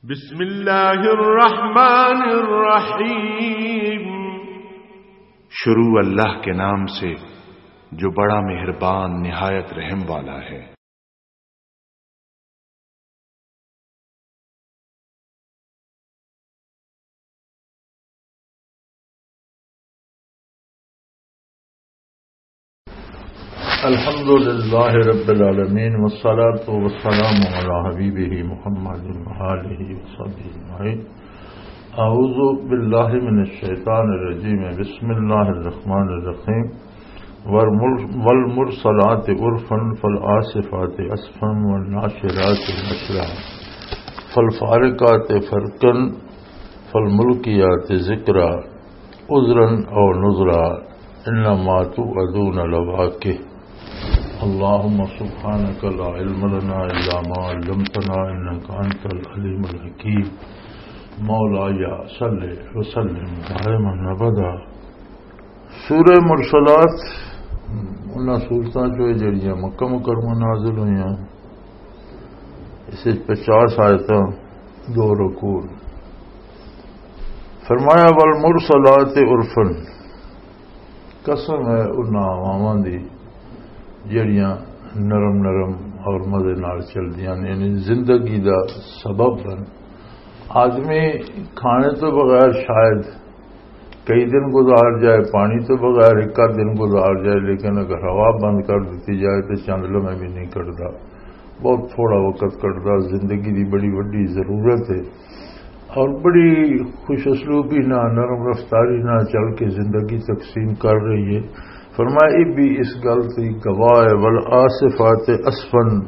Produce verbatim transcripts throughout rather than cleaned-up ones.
بسم اللہ الرحمن الرحیم۔ شروع اللہ کے نام سے، جو بڑا مہربان، نہایت رحم والا ہے۔ الحمد لله رب العالمين، والصلاة والسلام على حبيبه محمد وآله وصحبه أجمعين. أعوذ بالله من الشيطان الرجيم. بسم الله الرحمن الرحيم. والمر-، والمرسلات عرفا فالعاصفات عصفا والناشرات نشرا فالفارقات فرقا فالملقيات ذكرا عذرا أو نذرا إنما توعدون لواقع. اللهم سبحانك لا علم لنا إلا ما علمتنا إنك أنت العليم الحكيم. مولاي صل وسلم دائما أبدا. سورہ مرسلات انہاں سورتاں چوں ہے جڑیاں مکہ مکرمہ نازل ہوئیاں۔ اس وچ پچاس آیتاں، دو رکوع۔ فرمایا، "والمرسلات عرفا"، قسم ہے انہاں ہواواں دی جڑیاں نرم نرم اور مزے نال چلدیاں نے، یعنی زندگی دا سبب بن۔ آدمی کھانے تو بغیر شاید کئی دن گزار جائے، پانی تو بغیر ایک آدھ دن گزار جائے، لیکن اگر ہوا بند کر دتی جائے تو چند لمحے بھی نہیں کٹدا، بہت تھوڑا وقت کٹدا۔ زندگی دی بڑی وڈی ضرورت ہے اور بڑی خوش اسلوبی نہ، نرم رفتاری نہ چل کے زندگی تقسیم کر رہی ہے۔ فرمایا، یہ بھی اس گل کی گواہ ہے، "والعاصفات عصفا"،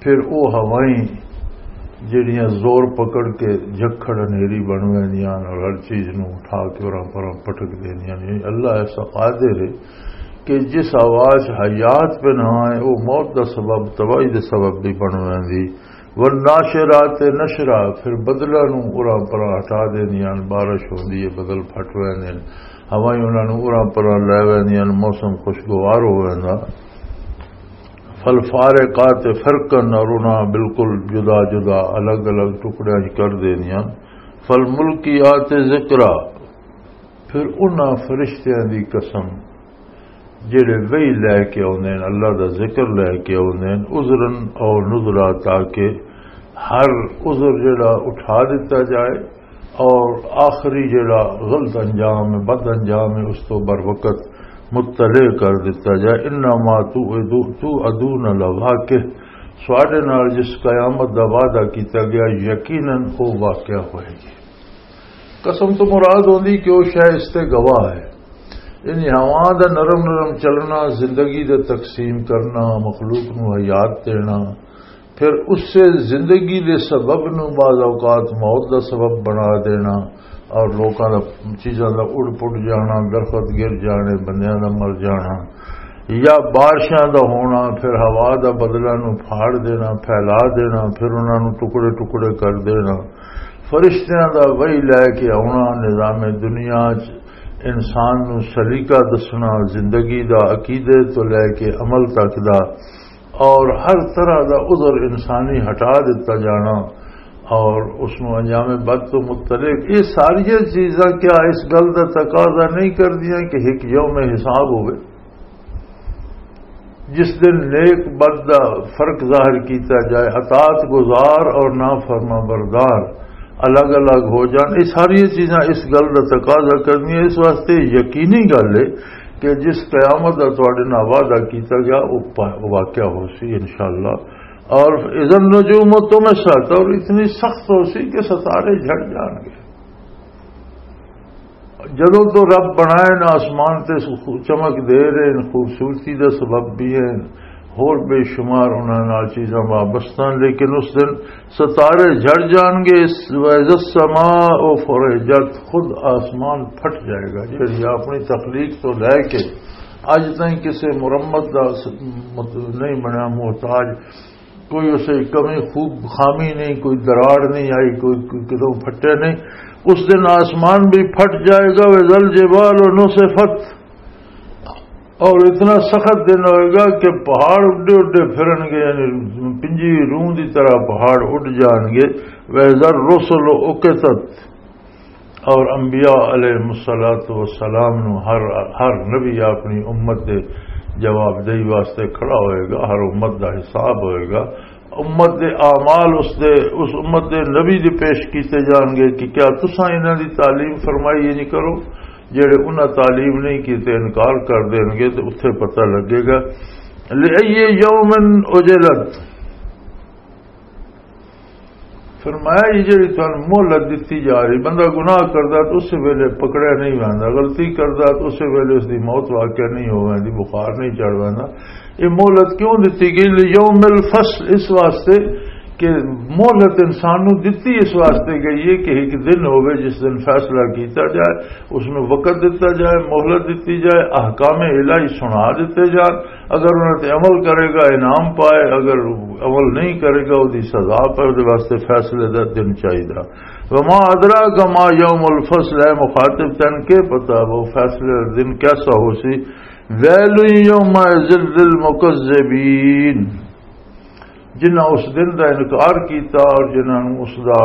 پھر او ہوائیں جڑیاں زور پکڑ کے جکھڑ انہیری بن ویندیاں اور ہر چیز نوں اٹھا کے اوراں پراں پٹک دیندیاں نے۔ اللہ ایسا قادر ہے کہ جس آواز حیات پہ نہ آئے، او موت دا سبب، تباہی دے سبب بھی بن ویندی۔ والناشرات نشرا، پھر بدلاں نوں اوراں پراں ہٹا دیندیاں، بارش ہوندی ہے، بدل پھٹ ویندے نے، ہوائیں انہاں نوں اوراں پراں لے ویندیاں، موسم خوشگوار ہو ویندا۔ فالفارقات فرقا، اور انہاں بالکل جدا جدا، الگ الگ ٹکڑیاں وچ کر دیندیاں۔ فالملقیات ذکرا، پھر انہاں فرشتیاں دی قسم جڑے وحی لے کے اوندے نے، اللہ دا ذکر لے کے اوندے نے، عذرا او نذرا، تاکہ ہر عذر جڑا اٹھا دتا جائے اور آخری جڑا غلط انجام ہے، بد انجام ہے، اس تو بر وقت مطلع کر دتا جائے۔ انما تو، تو ادون لواقع، سواڈے نال جس قیامت دا وعدہ کیتا گیا، یقیناً او واقعہ ہوئے گی۔ قسم تو مراد ہوندی کہ او شے اس تے گواہ ہے۔ یعنی ہوا دا نرم نرم چلنا، زندگی دا تقسیم کرنا، مخلوق نو حیات دینا، پھر اس سے زندگی دے سبب نو بعض اوقات موت دا سبب بنا دینا، اور لوکاں دا، چیزاں دا اڑ پڑ جانا، درخت گر جانے، بندیاں دا مر جانا، یا بارشاں دا ہونا، پھر ہوا دا بدلاں نو پھاڑ دینا، پھیلا دینا، پھر انہاں نو ٹکڑے ٹکڑے کر دینا، فرشتیاں دا وحی لے کے آنا، نظام دنیا چ انسان نو سلیقہ دسنا، زندگی دا عقیدے تو لے کے عمل تک دا، اور ہر طرح دا عذر انسانی ہٹا دتا جانا، اور اس نو انجام بد تو متعلق، یہ ساری چیزاں کیا اس گل دا تقاضا نہیں کردیاں کہ ایک یوم حساب ہوئے؟ جس دن نیک بد دا فرق ظاہر کیتا جائے، اطاعت گزار اور نافرما بردار الگ الگ ہو جان، یہ ساری چیزاں اس گل دا تقاضا کرنی ہے۔ اس واسطے یقینی گل ہے کہ جس قیامت دا تواڈے نال وعدہ کیتا گیا، وہ پا-، واقعہ ہو سی انشاءاللہ۔ اور اذا النجوم طمست، اور اتنی سخت ہو سی کہ ستارے جھڑ جان گے۔ جدوں تو رب بنائے نا آسمان تے سو-، چمک دے رہے ہیں، خوبصورتی دا سبب بھی ہے، ہور بے شمار انہاں نال چیزاں وابستہ ہیں، لیکن اس دن ستارے جھڑ جان گے۔ اس وَإِذَا السَّمَاءُ فُرِجَتْ، خود آسمان پھٹ جائے گا، جڑی اپنی تخلیق تو لے کے اج تائیں کسے مرمت دا س-، مت-، نہیں بنیا محتاج۔ کوئی اسے کمی خوب خامی نہیں، کوئی دراڑ نہیں آئی، کوئی، کوئی کدوں پھٹے نہیں۔ اس دن آسمان بھی پھٹ جائے گا۔ وَإِذَا الْجِبَالُ نُسِفَتْ، اور اتنا سخت دن ہوئے گا کہ پہاڑ اڈے اڈے پھرن گے، یعنی پنجی روح دی طرح پہاڑ اڈ جان گے۔ وَإِذَا الرُّسُلُ أُقِتَتْ، اور انبیاء علیہ الصلوۃ والسلام نو ہر، ہر نبی اپنی امت دے جواب دہی واسطے کھڑا ہوئے گا، ہر امت دا حساب ہوئے گا۔ امت دے اعمال اس دے، اس امت دے نبی دے پیش کیتے جان گے کہ کیا تساں انہاں دی تعلیم فرمائی نہیں کرو؟ جڑے انہاں تعلیم نہیں کیتے انکار کر دین گے، تے اتھے پتہ لگے گا۔ لِأَيِّ يَوْمٍ أُجِّلَتْ۔ فرمایا، یہ جڑی تانوں مہلت دتی جا رہی، بندہ گناہ کردا تو اس ویلے پکڑیا نہیں ویندا، غلطی کردا تو اس ویلے اس دی موت واقع نہیں ہو ویندی، بخار نہیں چڑھ ویندا۔ یہ مہلت کیوں دتی گئی؟ لِيَوْمِ الْفَصْلِ، اس واسطے کہ مہلت انسان نوں دتی اس واسطے گئی ہے کہ ایک دن ہوے جس دن فیصلہ کیتا جائے، اس میں وقت دتا جائے، مہلت دتی جائے، احکام الہی سنا دتے جان۔ اگر انہاں تے عمل کرے گا انعام پائے، اگر عمل نہیں کرے گا، وہ دی سزا پائے، وہ دے واسطے فیصلے دا دن چاہیدا۔ وما ادراک ما یوم الفصل، اے مخاطب، تن کے پتا وہ فیصلے دا دن کیسا ہو سی؟ ویل یومئذ للمکذبین، جنہاں اس دن دا انکار کیتا اور جنہاں نوں اس دا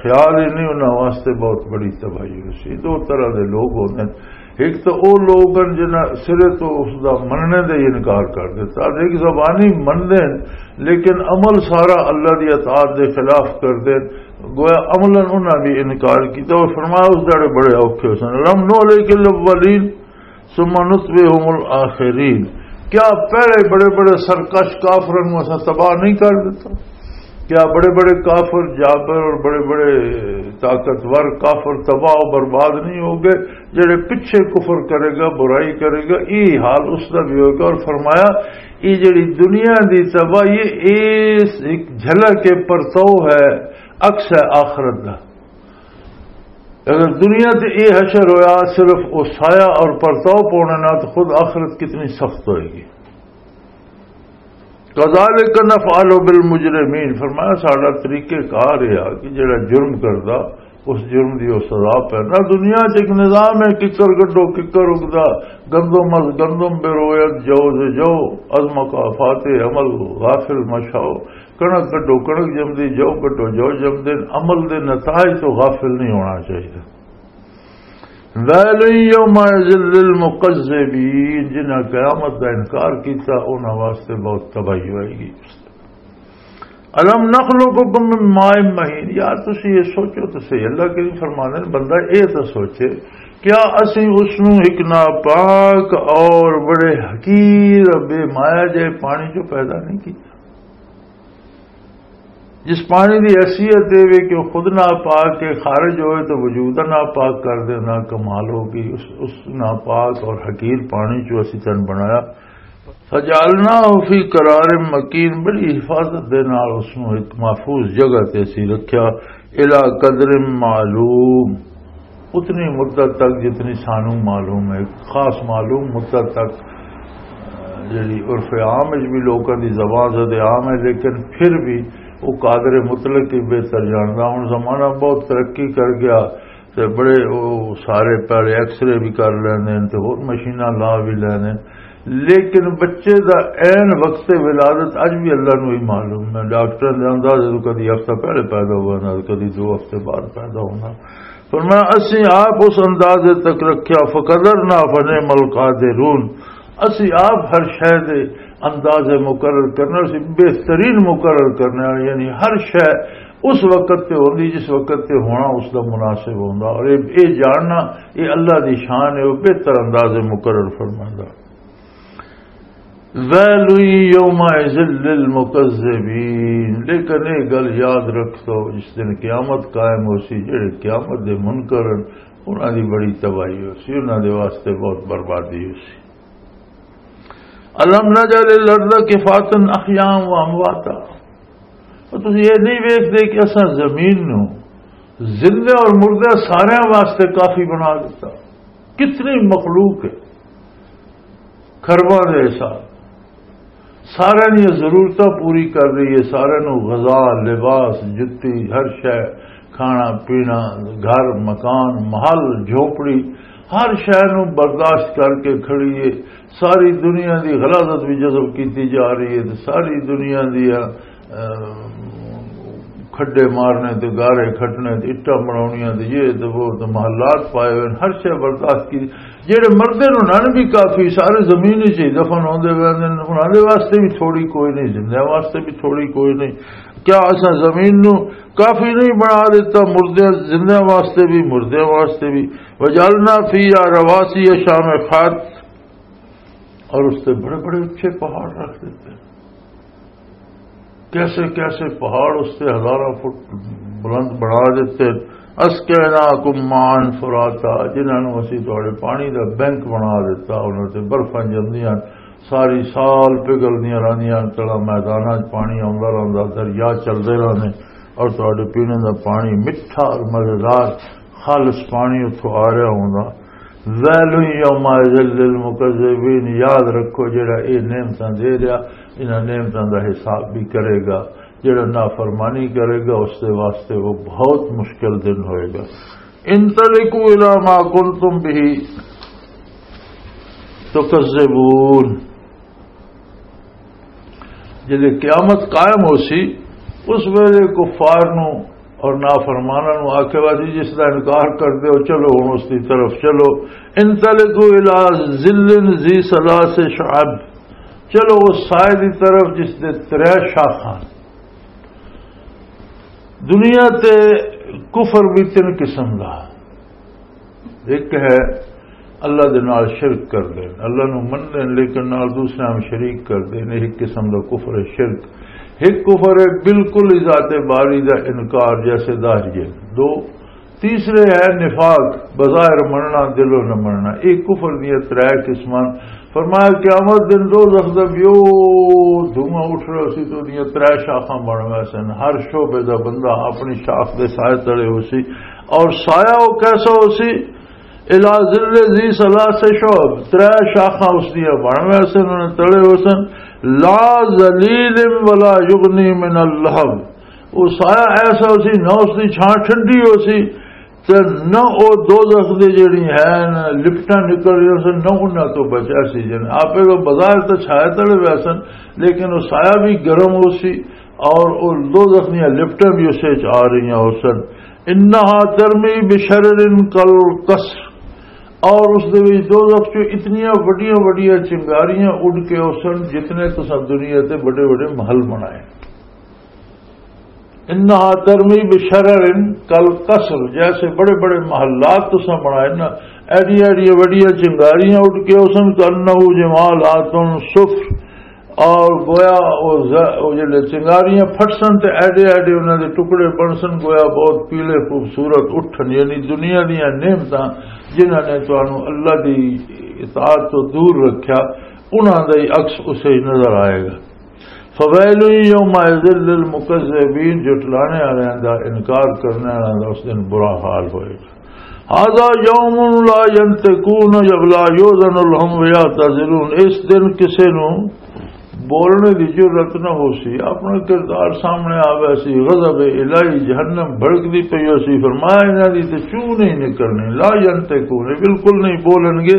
خیال ہی نہیں، انہاں واسطے بہت بڑی تباہی ہو سی۔ دو طرح دے لوگ ہوندے نے، ایک تو او لوگ ہیں جنہاں سرے تو اس دا مننے دے انکار کر دیتا، ایک زبانی مندے ہیں لیکن عمل سارا اللہ دی اطاعت دے خلاف کر دے، گویا عملاً انہاں بھی انکار کیتا۔ اور فرمایا اس داڑے بڑے اوکھے سن، لم نہلک الاولین ثم نتبعهم الاخرین۔ کیا پہلے بڑے بڑے سرکش کافرن نوں اساں تباہ نہیں کر دیتا؟ کیا بڑے بڑے کافر جابر اور بڑے بڑے طاقتور کافر تباہ و برباد نہیں ہو گئے؟ جڑے پچھے کفر کرے گا، برائی کرے گا، یہ حال اس دا بھی ہوگا۔ اور فرمایا، یہ جڑی دنیا دی تباہی، یہ ایک جھلک پرتو ہے، عکس ہے آخرت دا۔ اگر دنیا تے یہ حشر ہویا، صرف وہ سایہ اور پرتو پونے نال، تو خود آخرت کتنی سخت ہوئے گی۔ کذالک نفعل بالمجرمین، فرمایا ساڈا طریقہ کار یہ آ کہ جڑا جرم کردا، اس جرم دی وہ سزا پہ۔ نہ دنیا چ ایک نظام ہے، ککر گڈو ککر اگدا، گندم از گندم بروید، جو ز جو، از مکافات عمل غافل مشاؤ۔ کنک گڈو کنک جمدی، جو گڈو جو جمدے، عمل دے نتائج تو غافل نہیں ہونا چاہیے۔ ویل یومئذ للمکذبین، جنہاں قیامت دا انکار کیتا، انہاں واسطے بہت تباہی ہوئے گی۔ الم نخلقکم من ماء مہین، یار تسی یہ سوچو تو صحیح، اللہ کریم فرماندے نے، بندہ یہ تو سوچے، کیا اسی اس نو ایک ناپاک اور بڑے حقیر بے مایا جے پانی چوں پیدا نہیں کیتا؟ جس پانی دی حیثیت اے وے کہ وہ خود ناپاک ہے، خارج ہوئے تو وجود ناپاک کر دینا، کمال ہوگی۔ اس، اس ناپاک اور حقیر پانی چوں اسی تن بنایا۔ فجعلناہ فی قرار مکین، بڑی حفاظت دے نال اس نوں ایک محفوظ جگہ تے اسی رکھیا۔ الی قدر معلوم، اتنی مدت تک جتنی سانوں معلوم ہے، خاص معلوم مدت تک، جڑی عرف عام وچ بھی لوکاں دی زبان زد عام ہے، لیکن پھر بھی وہ قادر مطلق ہی بہتر جاندا۔ ہن زمانہ بہت ترقی کر گیا تے بڑے وہ سارے پہلے ایکس رے بھی کر لیندے نے تے ہور مشیناں لا بھی لیندے نے، لیکن بچے دا عین وقت ولادت اج بھی اللہ نوں ہی معلوم ہے۔ ڈاکٹر دے اندازے تو کدی ہفتہ پہلے پیدا ہونا، کدی دو ہفتے بعد پیدا ہونا۔ فرمایا، اسی آپ اس اندازے تک رکھیا، فقدرنا فنعم القادرون، اسی آپ ہر شے دے اندازے مقرر کرنے، اسی بہترین مقرر کرنے والے، یعنی ہر شے اس وقت تے ہوندی جس وقت تے ہونا اس دا مناسب ہوندا۔ اور یہ، یہ جاننا، یہ اللہ دی شان ہے، وہ بہتر اندازے مقرر فرماندا۔ ویل یومئذ للمکذبین، لیکن یہ گل یاد رکھ دو، جس دن قیامت قائم ہو سی، جڑے قیامت دے منکر ہن، انہاں دی بڑی تباہی ہو سی، انہاں دے واسطے بہت بربادی ہو سی۔ الم نجعل الارض کفاتا احیاء و امواتا، اور تسی یہ نہیں ویکھدے کہ اساں زمین نو زندے اور مردے سارے واسطے کافی بنا دیتا؟ کتنی مخلوق ہے، کھرباں دے حساب، سارے دی ضرورتاں پوری کر رہی ہے، سارے نو غذا، لباس، جتی، ہر شے، کھانا پینا، گھر، مکان، محل، جھونپڑی، ہر شے نوں برداشت کر کے کھڑی ہے۔ ساری دنیا دی غلاظت بھی جذب کیتی جا رہی ہے تے ساری دنیا دی، اہ، کھڈے مارنے تے گارے کھٹنے تے اٹاں بناونیاں تے یہ تے وہ تے محلات پائے ہوئے نے، ہر شے برداشت کی۔ جڑے مردے نے انہاں نے بھی کافی، سارے زمین وچ ہی دفن ہوندے پئے نے، انہاں دے واسطے بھی تھوڑی کوئی نہیں، زندیاں واسطے بھی تھوڑی کوئی نہیں۔ کیا اساں زمین نو کافی نہیں بنا دیتا؟ مردے، زندیاں واسطے بھی، مردیاں واسطے بھی۔ وجعلنا فیہا رواسیہ شامخات، اور اس تے بڑے بڑے اچھے پہاڑ رکھ دیتے۔ کیسے کیسے پہاڑ اس تے ہزاراں فٹ بلند بنا دیتے۔ اسقیناکم ماء فراتا، جنہاں نوں اسی تہاڈے پانی دا بینک بنا دیتا، انہاں تے برفاں جمدیاں، ساری سال پگھلدیاں رہندیاں، تلا میداناں 'چ پانی آوندا رہندا، دریا چلدے رہندے اور تہاڈے پینے دا پانی مٹھا اور مزیدار خالص پانی اتھوں آ رہا ہوندا۔ ویل یومئذ للمکذبین، یاد رکھو، جڑا اے نعمتاں دے رہا، انہاں نعمتاں دا حساب بھی کرے گا۔ جڑا نافرمانی کرے گا، اس دے واسطے وہ بہت مشکل دن ہوئے گا۔ انطلقوا الی ما کنتم به تکذبون۔ جدے قیامت قائم ہو سی، اس ویلے کفار نو اور نافرماناں نو آکھے گا، "جی، جس دا انکار کر دیو، چلو ہن اس دی طرف چلو۔" انطلقوا الی ظل ذی ثلاث شعب، چلو اس سائے دی طرف جس دے ترے شاخاں۔ دنیا تے کفر بھی تین قسم دا۔ ایک ہے اللہ دے نال شرک کر دین، اللہ نو من دین لیکن نال دوسرے ہم شریک کر دین، ایک قسم دا کفر ہے شرک۔ ایک کفر ہے بالکل ہی ذات باری دا انکار جیسے داجیے۔ دو، تیسرے ہے نفاق، بظاہر مننا، دلوں نہ مننا۔ ایک کفر دیاں ترے قسمان۔ فرمایا، قیامت دن دوزخ دا بھی او دھواں اٹھ رہا سی، تو دیاں ترے شاخاں بن گئے سن۔ ہر شعبے دا بندہ اپنی شاخ دے سائے تلے ہو سی۔ اور سایہ وہ کیسا ہو سی؟ الا ظل ذی ثلاث شعب، ترے شاخاں اس دیاں بن گئے سن، انہاں تلے ہو سن۔ لا ذلیل ولا یغنی من اللہب، وہ سایہ ایسا ہو سی، نہ اس دی چھاں ٹھنڈی ہو سی، تے نہ او دوزخ دے جڑی ہیں لپٹاں نکل رہی سن، نہ انہاں تو بچا سی۔ جن آپے تو بظاہر تو چھایا تلے ہوئے سن، لیکن او سایہ بھی گرم ہو سی اور او دوزخ دیاں لپٹاں بھی اسے وچ آ رہیاں ہو سن۔ انہا ترمی بشرر کالقصر، اور اس دے وچ دوزخ چوں اتنیاں وڈیاں وڈیاں چنگاریاں اڈ کے ہو سن جتنے تساں دنیا تے بڑے بڑے محل بنائے۔ انہا ترمی بشرر کالقصر، جیسے بڑے بڑے محلات تساں بنائے نا، ایڈیاں ایڈیاں وڈیاں چنگاریاں اٹھ کے اس نے کرنا وہ جمالات صفر، اور گویا وہ ز-، وہ جلے چنگاریاں پھٹسن تے ایڈے ایڈے انہاں دے ٹکڑے بنسن، گویا بہت پیلے خوبصورت اٹھن، یعنی دنیا دیاں نعمتاں جنہاں نے تانوں اللہ دی اطاعت تو دور رکھیا، انہاں دا ہی عکس اسے ہی نظر آئے گا۔ فویل یومئذ للمکذبین، جھٹلانے والوں دا، انکار کرنے والوں دا اس دن برا حال ہوئے گا۔ ھذا یوم لا ینطقون ولا یؤذن لهم فیعتذرون، اس دن کسے نو بولنے دی جرات نہ ہو سی، اپنا کردار سامنے آوے سی، غضب الہی، جہنم بھڑکدی پئی ہو سی، فرمایا انہاں دی تے چوں نہیں نکلنی، لا ینطقون، بالکل نہیں بولن گے،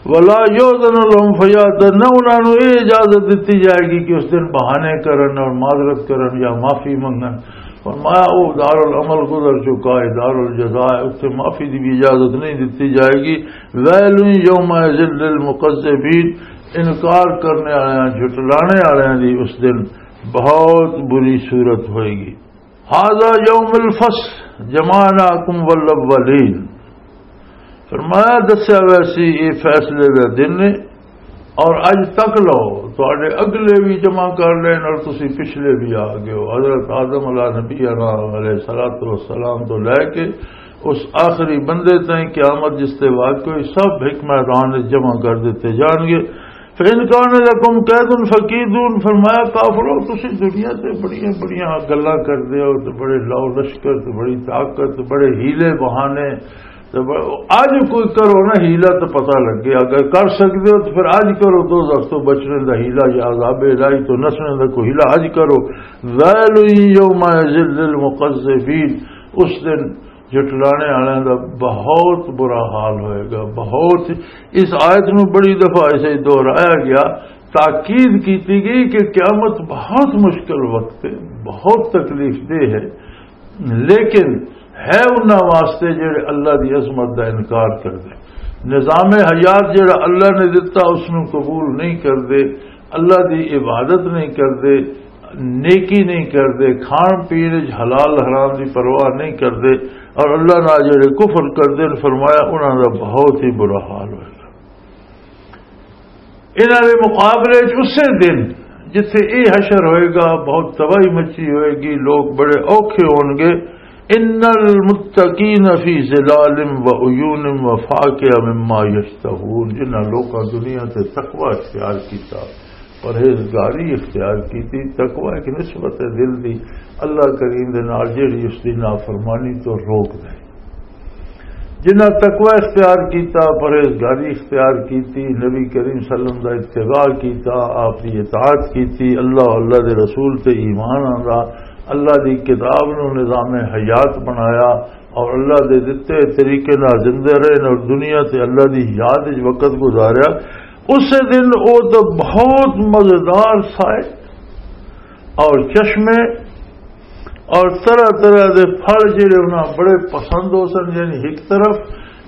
ولا یؤذن لهم فیعتذرون، نہ انہاں نوں یہ اجازت دتی جائے گی کہ اس دن بہانے کرن اور معذرت کرن یا معافی منگن۔ فرمایا، او دار العمل گزر چکا ہے، دار الجزا ہے، اس سے معافی دی بھی اجازت نہیں دتی جائے گی۔ ویل یومئذ للمکذبین، انکار کرنے والوں، جھٹلانے والوں دی اس دن بہت بری صورت ہوئے گی۔ ھذا یوم الفصل جمعناکم والاولین۔ فرمایا، دسیا ویسی یہ فیصلے کا دن ہے، اور اج تک لو، تہاڈے اگلے بھی جمع کر لین اور تسی پچھلے بھی آ گئے ہو۔ حضرت آدم علیہ نبی علیہ الصلوۃ والسلام تو لے کے اس آخری بندے تائیں قیامت جس تے واقع ہوئی، سب ایک میدان وچ جمع کر دیتے جان گے۔ فَإِنْ كَانَ لَكُمْ كَيْدٌ فَكِيدُونِ، فرمایا، کافرو، تسی دنیا تے بڑیاں بڑیاں گلاں کردے ہو تے بڑے لو لشکر تے بڑی طاقت تے بڑے ہیلے بہانے تے ب-، اج کوئی کرو نا ہیلا تے پتہ لگے، اگر کر سکدے ہو تے پھر اج کرو، دوزخ تو بچنے دا ہیلا یا عذاب الہی تو نسنے دا کوئی ہیلا اج کرو۔ ویل یومئذ للمکذبین، اس دن جھٹلانے والوں دا بہت برا حال ہوئے گا، بہت۔ اس آیت نو بڑی دفعہ اسے دہرایا گیا، تاکید کیتی گئی کہ قیامت بہت مشکل وقت ہے، بہت تکلیف دہ ہے، لیکن ہے انہاں واسطے جڑے اللہ دی عظمت دا انکار کر دے۔ نظام حیات جڑا اللہ نے دتا، اس نو قبول نہیں کر دے، اللہ دی عبادت نہیں کر دے، نیکی نہیں کر دے، کھان پین وچ حلال حرام دی پرواہ نہیں کر دے، اور اللہ نال جڑے کفر کر دے، فرمایا انہاں دا بہت ہی برا حال ہوئے گا۔ انہاں دے مقابلے وچ اسے دن جتھے اے حشر ہوئے گا، بہت تباہی مچی ہوئے گی، لوگ بڑے اوکھے ہون گے۔ ان المتقین فی ظلال و عیون و فاکہ مما یشتہون، جنہاں لوکاں دنیا تے تقوی اختیار کیتا، پرہیزگاری اختیار کیتی۔ تقوی ایک نسبت ہے دل دی اللہ کریم دے نال، جڑی اس دی نافرمانی تو روک دے۔ جنہاں تقوی اختیار کیتا، پرہیزگاری اختیار کیتی، نبی کریم صلی اللہ علیہ وسلم دا اتباع کیتا، آپ دی اطاعت کیتی، اللہ، اللہ دے رسول تے ایمان آندا، اللہ دی کتاب نو نظام حیات بنایا اور اللہ دے دتے طریقے نال زندے رہے اور دنیا تے اللہ دی یاد وچ وقت گزاریا۔ اسے دن او تو بہت مزیدار سائے اور چشمے اور طرح طرح دے پھل جڑے انہاں بڑے پسند ہو سن، یعنی ایک طرف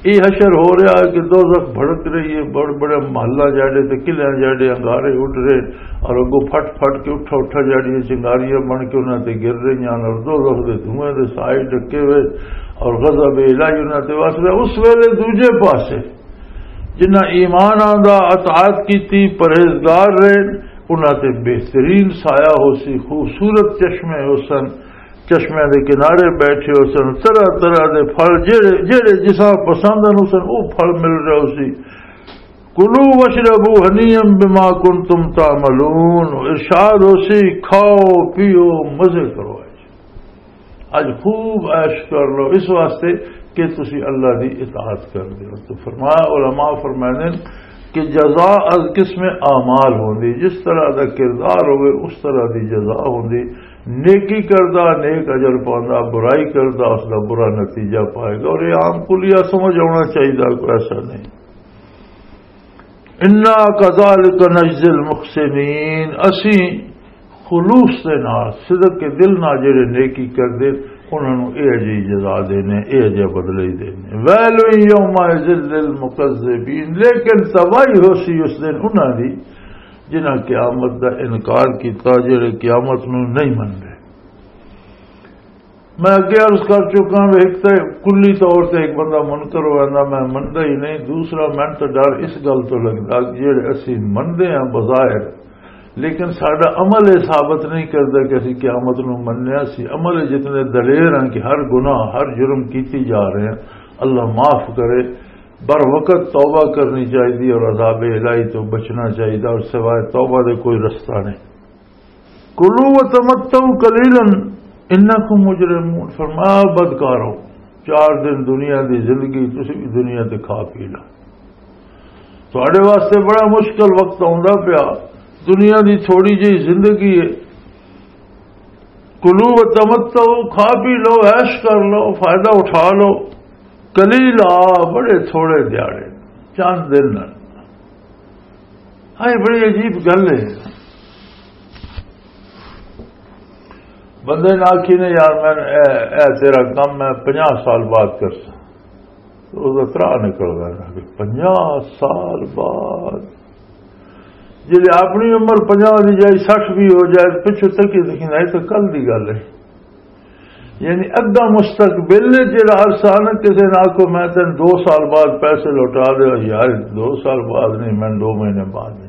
یہ حشر ہو رہا ہے کہ دوزخ بھڑک رہی ہے، بڑے بڑے محلہ جاڑے تے قلعے جاڑے انگارے اٹھ رہے اور اگوں پھٹ پھٹ کے اٹھا اٹھا جاڑیاں چنگاریاں بن کے انہاں تے گر رہی ہیں اور دوزخ دے دھوئیں دے سائے ڈکے ہوئے اور غضب الہی انہاں تے وس رہا۔ اس ویلے دوجے پاسے جنہاں ایمان آندا، اطاعت کیتی، پرہیزگار رہے، انہاں تے بہترین سایہ ہو سی، خوبصورت چشمے ہو سن، چشمے دے کنارے بیٹھے ہو سن، طرح طرح دے پھل جڑے جڑے جساں پسند ہن، اس او پھل مل رہا ہو سی۔ کلوا واشربوا ہنیئا بما کنتم تعملون، ارشاد ہو سی، کھاؤ پیو، مزے کرو۔ اج خوب عیش کر لو، اس واسطے کہ تسی اللہ دی اطاعت کر دے ہو۔ تو فرمایا، علماء فرماندے نے کہ جزا از قسم اعمال ہوندی، جس طرح دا کردار ہوئے اس طرح دی جزا ہوندی۔ نیکی کردا نیک اجر پاوندا، برائی کردا اس دا برا نتیجہ پائے گا۔ اور یہ عام کلیہ سمجھ آنا چاہیے، کوئی ایسا نہیں۔ انا کذالک نجزی المحسنین، اسی خلوص دے نال، صدق کے دل نال جڑے نیکی کردے، انہاں نوں اے جی جزا دینے، اے جی بدلے ہی دینے۔ ویل یومئذ للمکذبین، لیکن تباہی ہو سی اس دن انہاں دی جنہاں قیامت دا انکار کیتا، جڑے قیامت نوں نہیں مندے۔ میں اگے عرض کر چکا ہاں، ایک تے کلی طور تے ایک بندہ منکر ہو جاندا، میں مندا ہی نہیں۔ دوسرا، میں تو ڈر اس گل تو لگدا کہ جڑے اسی مندے ہاں بظاہر، لیکن ساڈا عمل یہ ثابت نہیں کردا کہ اسی قیامت نو منیا سی۔ عمل جتنے دلیر ہیں کہ ہر گناہ، ہر جرم کیتی جا رہے ہیں، اللہ معاف کرے۔ بر وقت توبہ کرنی چاہیے اور عذاب الہی تو بچنا چاہیے، اور سوائے توبہ دے کوئی رستہ نہیں۔ کلوا وتمتعوا قلیلا انکم مجرمون، فرمایا، بدکارو، چار دن دنیا دی زندگی، تسی بھی دنیا تے کھا پی لو۔ تہاڈے واسطے بڑا مشکل وقت آوندا پیا، دنیا دی تھوڑی جہی زندگی ہے۔ کلوا وتمتعوا، کھا پی لو، عیش کر لو، فائدہ اٹھا لو۔ قلیلا، بڑے تھوڑے دیہاڑے، چند دن۔ ہاں، یہ بڑی عجیب گل ہے۔ بندے نے آکھی نے، "یار، میں اے، اے تیرا کم میں پنجاہ سال بعد کرساں۔" تو اس دا ترا نکل گیا کہ پنجاہ سال بعد، جی اپنی عمر پنجاہ دی جائے، سٹھ بھی ہو جائے، پچھو تکی تکی نہیں تو کل دی گل ہے۔ یعنی ادھا مستقبل جڑا عرصہ نا، کسے نہ آکھو، "میں تین دو سال بعد پیسے لوٹا دے۔" یار، دو سال بعد نہیں، میں دو مہینے بعد نہیں۔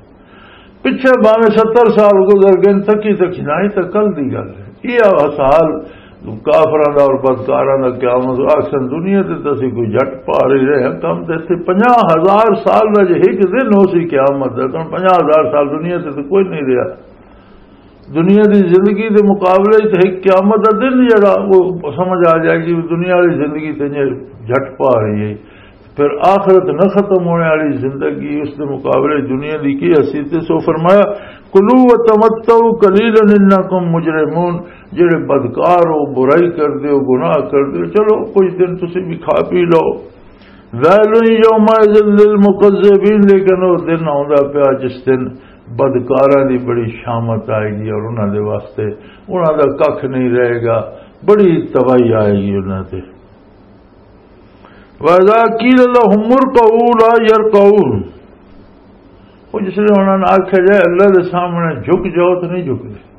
پچھے بھاویں ستر سال گزر گئے، تکی تکی نہ ہی تو کل دی گل ہے۔ یہ سال کافراں دا اور بدکاراں دا قیامت، آکھن دنیا تے تسی کوئی جٹ پا رہی رہے ہیں، کم تے اتھے پنجاہ ہزار سال دا جے ایک دن ہو سی قیامت دا، تو پنجاہ ہزار سال دنیا تے تو کوئی نہیں رہا۔ دنیا دی زندگی دے مقابلے وچ ایک قیامت دا دن جڑا، وہ سمجھ آ جائے گی، دنیا والی زندگی تے جے جھٹ پا رہی ہے۔ پھر آخرت نہ ختم ہونے والی زندگی، اس دے مقابلے دنیا دی کی حیثیت ہے؟ سو فرمایا، "کلوا وتمتعوا قلیلا انکم مجرمون۔" جڑے بدکار ہو، برائی کر دے ہو، گناہ کر دے ہو، چلو کچھ دن تسی بھی کھا پی لو۔ "ویل یومئذ للمکذبین۔" لیکن وہ دن آوندا پیا جس دن بدکاراں دی بڑی شامت آئے گی اور انہاں دے واسطے، انہاں دا ککھ نہیں رہے گا، بڑی تباہی آئے گی انہاں تے۔ وَإِذَا قِيلَ لَهُمُ ارْكَعُوا لَا يَرْكَعُونَ۔ وہ جس نے انہاں نے آکھیا جائے، "اللہ دے سامنے جھک جاؤ"، تو نہیں جھکدے۔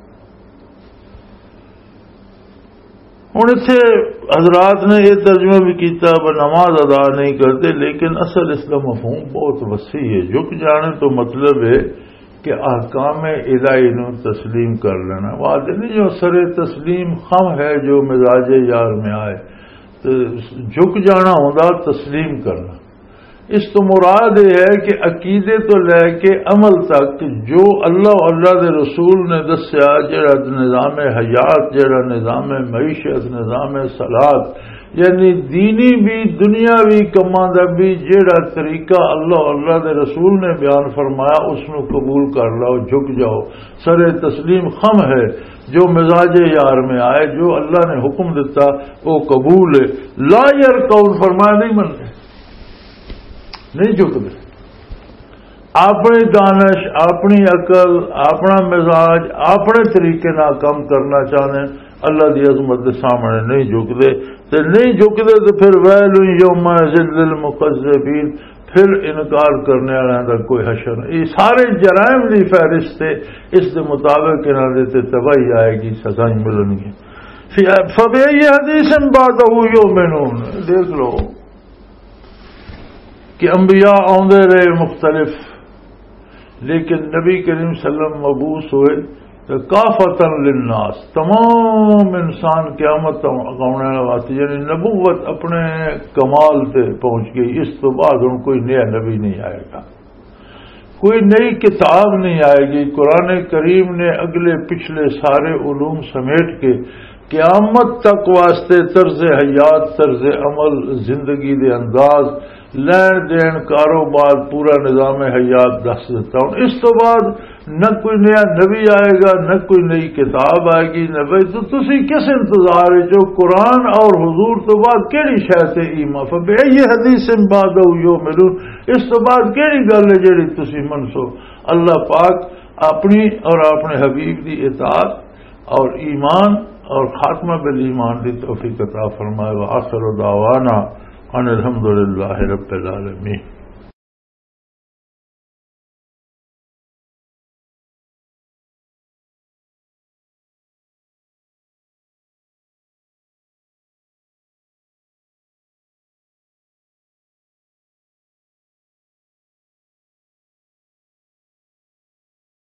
ہن اتھے حضرات نے یہ ترجمہ بھی کیتا، وہ نماز ادا نہیں کرتے، لیکن اصل اس کا مفہوم بہت وسیع ہے۔ جھک جانے تو مطلب ہے کہ احکام الہی نو تسلیم کر لینا۔ وہ آدھے نہیں، جو سر تسلیم خم ہے، جو مزاج یار میں آئے، تو جھک جانا ہوندا تسلیم کرنا۔ اس تو مراد یہ ہے کہ عقیدے تو لے کے عمل تک جو اللہ اور اللہ دے رسول نے دسیا، جڑا نظام حیات، جڑا نظام معیشت، نظام صلات، یعنی دینی بھی دنیاوی کماں دا بھی جڑا طریقہ اللہ اور اللہ دے رسول نے بیان فرمایا، اس نو قبول کر لو، جھک جاؤ۔ سر تسلیم خم ہے، جو مزاج یار میں آئے، جو اللہ نے حکم دیتا، وہ قبول ہے۔ لا یرکعون، فرمایا نہیں منتے، نہیں جھکدے۔ اپنی دانش، اپنی عقل، اپنا مزاج، اپنے طریقے نال کم کرنا چاہندے، اللہ دی عظمت دے سامنے نہیں جھکدے۔ تے نہیں جھکدے تے پھر ویل یومئذ للمکذبین، پھر انکار کرنے والوں دا کوئی حشر نہیں۔ یہ سارے جرائم دی فہرست ہے، اس دے مطابق انہاں دے تے تباہی آئے گی، سزائیں ملن گی۔ فبأي حديث بعده يؤمنون۔ دیکھ لو کہ انبیاء آندے رہے مختلف، لیکن نبی کریم صلی اللہ علیہ وسلم مبعوث ہوئے تو کافۃ للناس، تمام انسان قیامت تک آنے والے واسطے، یعنی نبوت اپنے کمال تے پہنچ گئی۔ اس تو بعد ہن کوئی نیا نبی نہیں آئے گا، کوئی نئی کتاب نہیں آئے گی۔ قرآن کریم نے اگلے پچھلے سارے علوم سمیٹ کے قیامت تک واسطے طرز حیات، طرز عمل، زندگی دے انداز، لین دین، کاروبار، پورا نظام حیات دس دیتا۔ ہن اس تو بعد نہ کوئی نیا نبی آئے گا، نہ کوئی نئی کتاب آئے گی، نہ بھائی تو تسی کس انتظار وچ ہو؟ قرآن اور حضور تو بعد کیڑی شے تے ایمان؟ فبأي حديث بعده يؤمنون۔ اس تو بعد کیڑی گل ہے جیڑی تسی منسو؟ اللہ پاک اپنی اور اپنے حبیب دی اطاعت اور ایمان اور خاتمہ بالایمان دی توفیق عطا فرمائے۔ وآخر دعوانا ان الحمد للہ رب العالمین۔